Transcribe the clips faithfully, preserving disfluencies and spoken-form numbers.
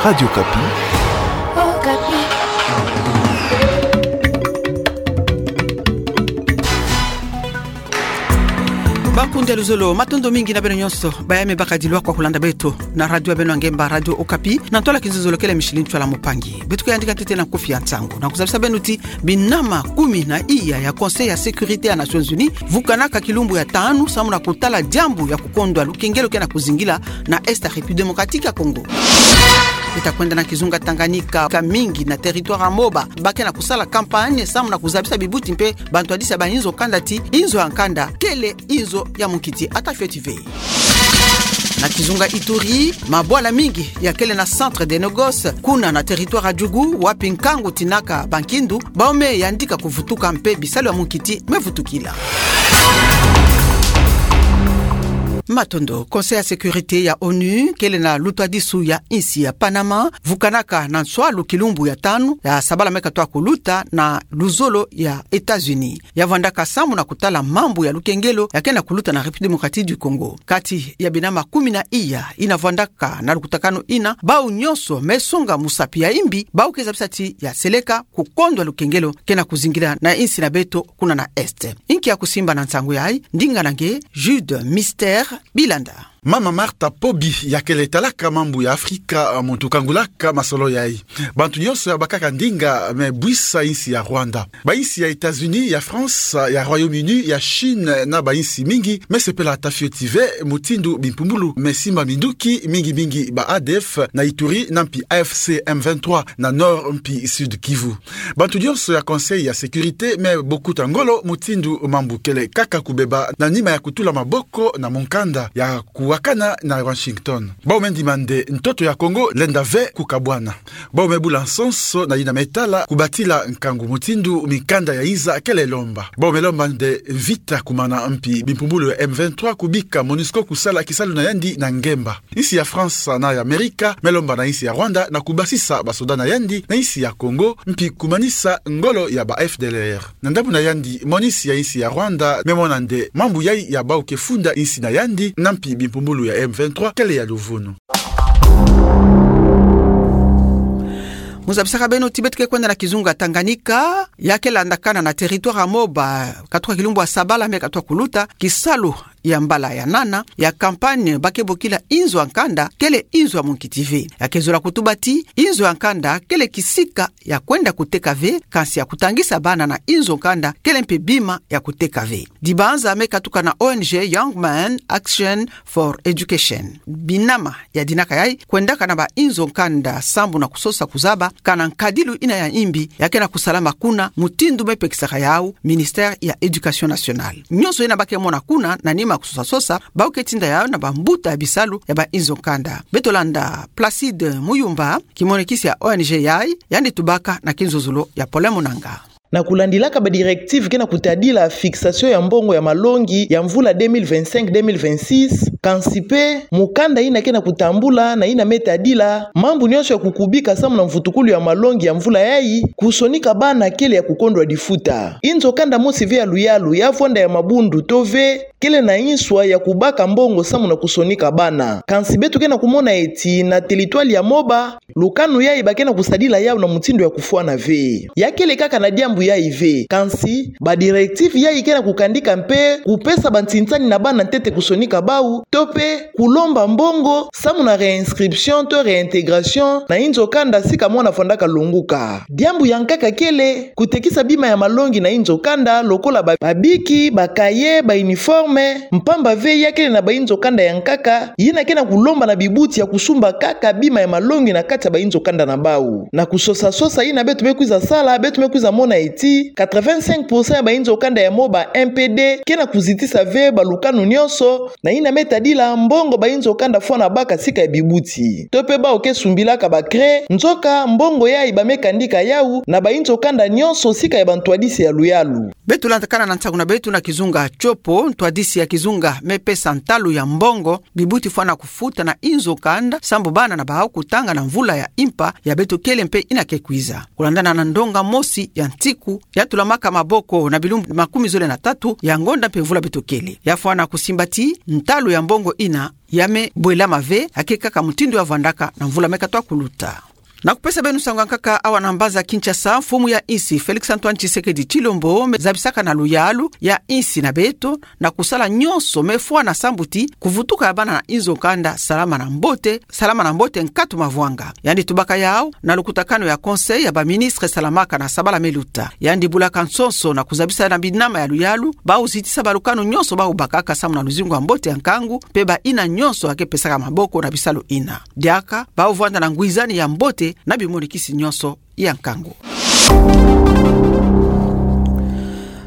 Radio Okapi. Okapi. Bakundi ya luzolo, matondo mingi na beno nyonso baye me baka dilwa kwa kulanda beto na radio ya beno ya ngemba, Radio Okapi, na ntwala kinzuzolo kele Micheline Tshoala Mupangi. Beto ke yandika ntete na nkufi ya nsangu, na kuzabisa beno ti binama kumi na iya ya Conseil ya Sécurité ya Nations Unies vukanaka kilumbu ya tanu samu na kutala diambu ya kukondwa lukengelo ke na kuzingila na Est ya République Démocratique ya Congo. Beta kwenda na kizunga Tanganyika, ka mingi na territoire ya Moba ba ke na kusala campagne samu na kuzabisa bibuti mpe bantwadisi ya bainzo kanda ti inzo ya nkanda kele inzo ya munkiti. Ata fioti ve. Na kizunga Ituri, mabwala mingi ya kele na centre de négoce kuna na territoire ya Djugu, wapi nkangu tinaka bankindu, bau me yandika kuvutuka mpe bisalu ya munkiti me vutukila. Matondo. Conseil ya Sécurité ya ONU kele na lutwadisu ya insi ya Panama vukanaka na nswalu kilumbu ya tanu ya sabala me katwa kuluta na luzolo ya États-Unis. Ya vwandaka samu na kutala mambu ya lukengelo ya ke na kuluta na République Démocratique du Congo. Kati ya binama kumi na iya ina vwandaka na lukutakanu ina, bau nyonso me songa musapi ya imbi, bau ke zabisa ti ya seleka kukondwa lukengelo ke na kuzingila na insi na beto kuna na Est. Inki ya kusimba na nsangu yayi, ndinga na nge Jude Mister Bilanda. Mama Martha Pobi, ya kele talaka mambu ya Afrika, muntu kangulaka masolo yayi. Bantu nyonso ya bakaka ndinga me bwisa insi ya Rwanda. Bainsi ya États-Unis, ya France, ya Royaume-Uni, ya Chine na bainsi mingi me sepela ata fioti ve mutindu bimpumbulu me simba minduki, mingi mingi ba A D F na Ituri na mpi A F C M vingt-trois na Nord mpi Sud Kivu. Bantu nyonso ya Conseil ya Sécurité me bokuta ngolo mutindu mambu kele kaka kubeba na nima ya kutula maboko na mukanda ya kuwakana na Washington. Bau me ndima nde ntoto ya Congo lenda ve kukabwana. Bau me bula nsonso na yina me tala kubatila nkangu mutindu mikanda ya iza kele lomba. Bau me lomba nde mvita kumana mpi bimpumbulu ya M vingt-trois kubika MONUSCO kusala kisalu na yandi na ngemba. Insi ya France na ya Amerika me lomba na insi ya Rwanda na kubasisa basoda na yandi na insi ya Congo, mpi kumanisa ngolo ya ba F D L R. Na ndambu na yandi, monisio ya insi ya Rwanda me mona nde mambu yayi ya bau ke funda insi na yandi na mpi bimpumbulu ya M vingt-trois kele ya luvunu. Mu zabisaka beno ti beto ke kwenda na kizunga Tanganyika, ya ke landakana na territoire ya Moba, katuka kilumbu ya sabala me katuka kuluta, kisalu ya mbala ya nana ya campagne ba ke bokila inzo ya nkanda kele inzo ya munkiti ve. Ya ke zola kutuba ti inzo ya nkanda kele kisika ya kwenda kuteka ve, kansi ya kutangisa bana na inzo nkanda kele mpe bima ya kuteka ve. Dibanza me katuka na O N G Young Men Action for Education. Binama ya dinaka yayi kwendaka na ba inzo nkanda sambu na kusosa kuzaba kana nkadilu ina ya imbi ya ke na kusalama kuna, mutindu me pekisaka yau Ministère ya Éducation Nationale. Nyonso ina ba ke mona kuna na nima kusosa-sosa, bau ke tinda yau na bambuta ya bisalu ya ba inzo nkanda. Beto landa Placide Muyumba, kimonekisi ya O N G yayi, yandi tubaka na kinzuzulu ya Paulin Munanga. Na kulandilaka ba directive ke na kutadila fixation ya mbongo ya malongi ya mvula deux mille vingt-cinq deux mille vingt-six, kansi mpe mukanda ina ke na kutambula na ina me tadila mambu nyonso ya kukubika samu na mvutukulu ya malongi ya mvula yayi, kusonika bana kele ya kukondwa difuta. Inzo kanda mosi ve ya luyalu ya vwanda ya mabundu to ve kele na inswa ya kubaka mbongo samu na kusonika bana. Kansi beto ke na kumona eti na teritware ya Moba, lukanu yayi ba ke na kusadila yau na mutindu ya kufwana ve. Ya kele kaka na diambu yayi ve, kansi ba directive yayi ke na kukandika mpe kupesa bantintiani na bana ntete kusonika bau, to mpe kulomba mbongo samu na réinscription to réintégration na inzo kanda sika mwana vwandaka lunguka. Diambu ya nkaka kele kutekisa bima ya malongi na inzo kanda, lokola ba, babiki, ba cahier, ba uniforme, mpamba ve ya kele na ba inzo kanda ya nkaka yina ke na kulomba na bibuti ya kusumba kaka bima ya malongi na kati ya ba inzo kanda na bau. Na kusosa-sosa ina beto me kwiza sala, beto me kwiza mona eti quatre-vingt-cinq pour cent ya ba inzo kanda ya Moba M P D ke na kuzitisa ve ba lukanu nyonso na ina me tadila mbongo ba inzo kanda fwana baka sika ya bibuti. To mpe bau ke sumbilaka ba craie, nzoka mbongo yayi ba me kandika yau na ba inzo kanda nyonso sika ya bantwadisi ya luyalu. Beto landakana na nsangu na beto na kizunga Tshopo, ntwadisi ya kizunga me pesa ntalu ya mbongo bibuti fwana kufuta na inzo kanda sambu bana na bau kutanga na mvula ya impa ya beto kele mpe ina ke kwiza. Kulandana na ndonga mosi ya nsiku maku ya tulamaka maboko na bilumbu makumi zole na tatu ya ngonda mpe mvula beto kele. Ya fwana kusimba ti ntalu ya mbongo ina ya me bwelama ve, ake kaka mutindu ya vandaka na mvula me katwa kuluta. Na kupesa beno nsangu ya nkaka awa na mbanza Kinshasa, mfumu ya insi Félix Antoine Tshisekedi Tshilombo me zabisaka na luyalu ya insi na beto na kusala nyonso me fwana sambu ti kuvutuka ya bana na inzo kanda salama na mbote, salama na mbote nkatu mavwanga. Yandi tubaka yau na lukutakanu ya Conseil ya ba ministre salamaka na sabala me luta. Yandi bulaka nsonso na kuzabisa na binama ya luyalu, bau zitisa balukanu nyonso bau bakaka samu na luzingu ya mbote ya nkangu, mpe ba ina nyonso ake pesaka maboko na bisalu ina. Diaka, bau vwanda na ngwizani ya mbote na bimonikisi nyonso ya nkangu.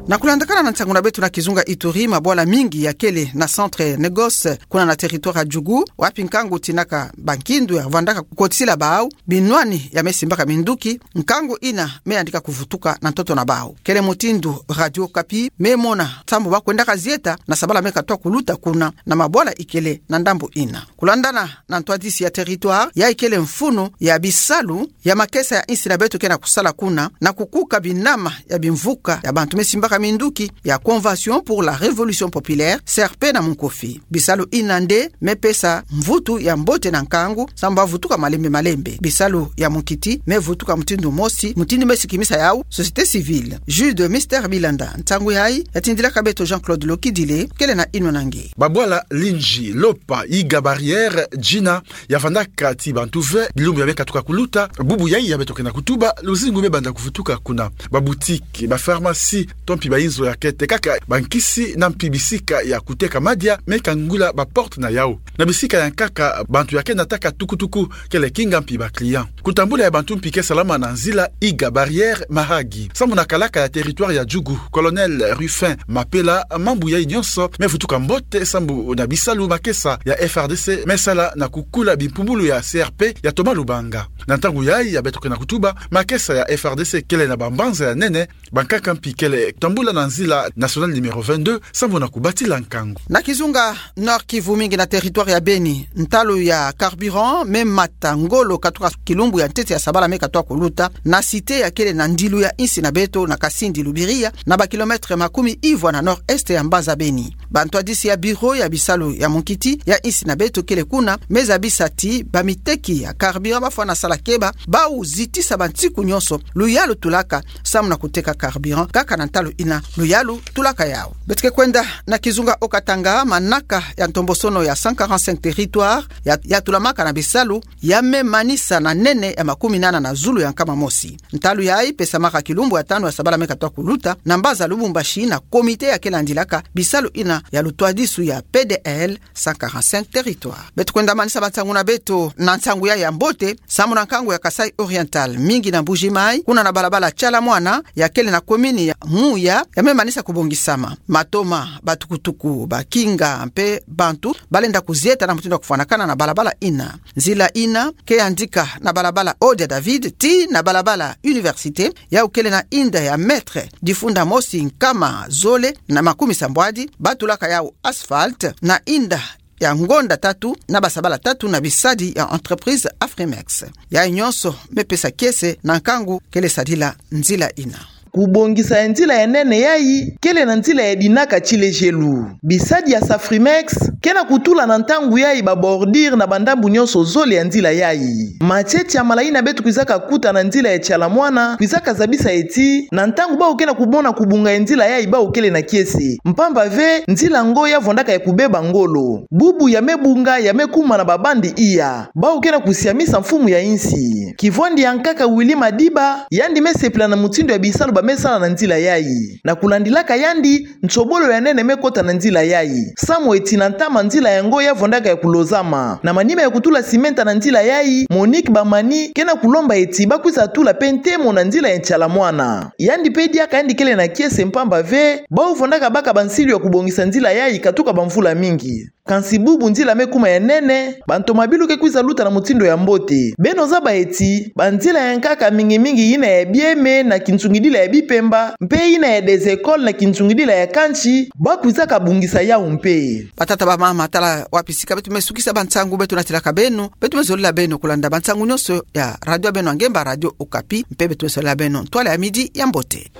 Na kulandakana na nsangu na beto na kizunga Ituri, mabwala mingi ya kele na centre Negos, kuna na territoire ya Djugu, wapi nkangu tinaka bankindu ya vwandaka kukotisila bau binwani ya me simbaka minduki, nkangu ina me yandika kuvutuka na ntoto na bau. Kele mutindu Radio Okapi me mona sambu ba kwendaka zieta na sabala me katwa kuluta kuna na mabwala ikele na ndambu ina. Kulandana na ntwadisi ya territoire, ya ikele mfunu ya bisalu ya makesa ya insi na beto ke na kusala kuna, na kukuka binama ya bimvuka ya bantu me simbaka minduki ya Convention pour la Révolution Populaire, C R P na munkofi. Bisalu ina nde me pesa mvutu ya mbote na nkangu, sambu ba vutuka malembe malembe. Bisalu ya munkiti me vutuka mutindu mosi, mutindu me sikimisa yau société civile. Jude Mister Bilanda, nsangu yayi ya tindilaka beto Jean-Claude Lokidile, kele na inwa na nge. Babwala Linji, Lopa, Iga Barrière, Djina, ya vandaka ti bantu ve, bilumbu ya me katuka kuluta, bubu yayi ya beto ke na kutuba, luzingu me banda kuvutuka kuna. Ba boutique, ba pharmacie, to mpi ba inzo ya kete kaka bankisi na mpi bisika ya kuteka madia, me kangula ba porte na yau. Na bisika ya nkaka, bantu ya ke nataka tukutuku, kele kinga mpi ba client. Kutambula ya bantu mpi ke salama na nzila Iga Barrière Mahagi. Sambu na kalaka ya territoire ya Djugu, Colonel Rufin Mapela, mambu yayi nyonso me vutuka mbote sambu na bisalu makesa ya F R D C me sala na kukula bimpumbulu ya C R P ya Thomas Lubanga. Na ntangu yayi ya beto ke na kutuba, makesa ya F R D C kele na bambanza ya nene, bankaka mpi kele tambula na nzila nationale numéro vingt-deux, sambu na kubatila nkangu. Na kizunga Nord-Kivu, mingi na territoire ya Beni, ntalu ya carburant me mata ngolo katuka kilumbu ya ntete ya sabala me katwa kuluta, na cité ya kele na ndilu ya insi na beto na Kasindi Lubiria, na ba kilomètre makumi ivwa na nord-est ya mbanza Beni. Bantwadisi ya bureau ya bisalu ya munkiti ya insi na beto kele kuna me zabisa ti bamiteki ya carburant ba fwana sala keba, bau zitisa bansiku nyonso luyalu tulaka samu na kuteka carburant, kaka na ntalu ina luyalu tulaka yau. Beto ke kwenda na kizunga Haut-Katanga, manaka ya ntombosono ya cent quarante-cinq territoires ya, ya tulamaka na bisalu ya me manisa na nene ya makumi nana na zulu ya nkama mosi. Ntalu yayi pesamaka kilumbu ya tanu ya sabala me katwa kuluta na mbanza Lubumbashi na comité ya ke landilaka bisalu ina ya lutwadisu ya P D L cent quarante-cinq territoires. Beto kwenda manisa bansangu na beto na nsangu yayi ya mbote, samu na nkangu ya Kasaï Oriental, mingi na Mbuji-Mayi, kuna na balabala Tshala Mwana, ya kele na commune ya Mouya, ya me manisa kubongisama. Matoma, batukutuku, bakinga, mpe bantu ba lenda kuzieta na mutindu ya kufwanakana na balabala ina. Nzila ina ke yandika na balabala Ode ya David tii na balabala Université, yau kele na inda ya mètre difunda mosi nkama zole na makumi sambwadi, ba tulaka yau asphalte, na inda ya ngonda tatu na basabala tatu na bisadi ya entreprise Afrimex. Yayi nyonso me pesa kiese na nkangu kele sadila nzila ina. Kubongisa ya nzila ya nene yayi kele na nzila ya dinaka ti lejelu. Bisadi ya Safrimex ke na kutula na ntangu yayi ba bordure na bandambu nyonso zole ya nzila yayi. Matiete ya malayi ina beto kwizaka kuta na nzila ya Tshala Mwana kwizaka zabisa ye ti na ntangu bau ke na kumona kubunga ya nzila yayi bau kele na kiese, mpamba ve nzila ngo ya vwandaka ya kubeba ngolo. Bubu ya me bunga, ya me kuma na ba bande iya. Bau ke na kusiamisa mfumu ya insi. Kivwandi ya nkaka Willy Madiba, yandi me sepela na mutindu ya bisalu ba me sala na nzila yayi. Na kulandilaka yandi, nsobolo ya nene me kota na nzila yayi. Samu ye ti na ntama nzila yango ya vwandaka ya kulozama. Na manima ya kutula simenta na nzila yayi, Monique Bamani ke na kulomba ye ti ba kwiza tula mpe ntemo na nzila ya Tshala Mwana. Yandi mpe diaka yandi kele na kiese, mpamba ve bau vwandaka baka bansilu ya kubongisa nzila yayi katuka bamvula mingi. Kansi bubu nzila me kuma ya nene, bantomabilu ke kwiza luta na mutindu ya mbote. Beno zaba ye ti banzila ya nkaka, mingi mingi yina ya Bieme na kinsungidila ya Bipemba, mpe yina ya des écoles na kinsungidila ya Kantsi, ba kwizaka bongisa yau mpe. Batata, bamama, tala wapi sika beto me sukisa bansangu beto natilaka beno. Beto me zolila beno kulanda bansangu nyonso ya radio ya beno ya ngemba, Radio Okapi, mpe beto me zolila beno ntwala ya midi ya mbote.